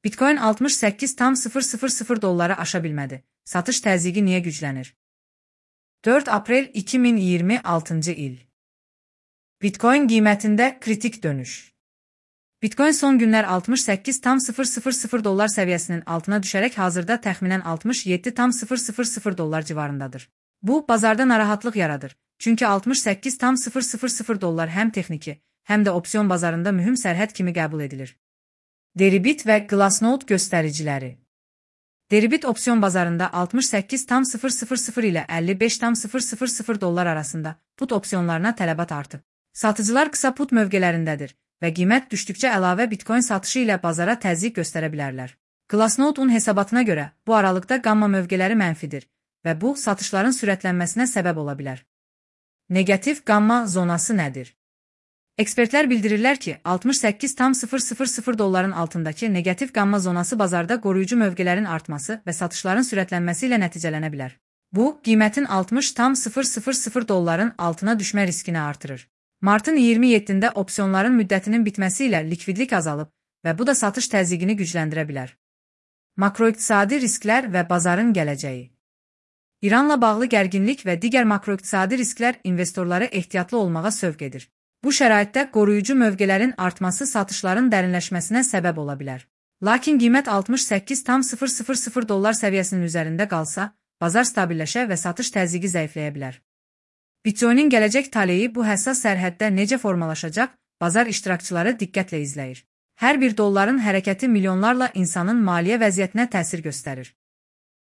Bitcoin 68,000 dollara aşa bilmədi. Satış təzyiqi niyə güclənir? 4 aprel 2026 il. Bitcoin qiymətində kritik dönüş. Bitcoin son günlər 68,000 dollar səviyyəsinin altına düşərək hazırda təxminən 67,000 dollar civarındadır. Bu, bazarda narahatlıq yaradır. Çünki 68,000 dollar həm texniki, həm də opsiyon bazarında mühüm sərhəd kimi qəbul edilir. Deribit və Glassnode göstəriciləri. Deribit opsiyon bazarında 68,000 ilə 55,000 dollar arasında put opsiyonlarına tələbat artıb. Satıcılar qısa put mövqelərindədir və qiymət düşdükcə əlavə Bitcoin satışı ilə bazara təzyiq göstərə bilərlər. Glassnode-un hesabatına görə bu aralıqda qamma mövqeləri mənfidir və bu satışların sürətlənməsinə səbəb ola bilər. Negativ qamma zonası nədir? Ekspertlər bildirirlər ki, 68,000 dolların altındakı negativ qamma zonası bazarda qoruyucu mövqələrin artması və satışların sürətlənməsi ilə nəticələnə bilər. Bu, qiymətin 60,000 dolların altına düşmə riskini artırır. Martın 27-də opsiyonların müddətinin bitməsi ilə likvidlik azalıb və bu da satış təzyiqini gücləndirə bilər. Makroiqtisadi risklər və bazarın gələcəyi. İranla bağlı gərginlik və digər makroiqtisadi risklər investorları ehtiyatlı olmağa sövq edir. Bu şəraitdə qoruyucu mövqələrin artması satışların dərinləşməsinə səbəb ola bilər. Lakin qiymət 68,000 dollar səviyyəsinin üzərində qalsa, bazar stabilləşə və satış təzyiqi zəifləyə bilər. Bitcoinin gələcək taleyi bu həssas sərhəddə necə formalaşacaq, bazar iştirakçıları diqqətlə izləyir. Hər bir dolların hərəkəti milyonlarla insanın maliyyə vəziyyətinə təsir göstərir.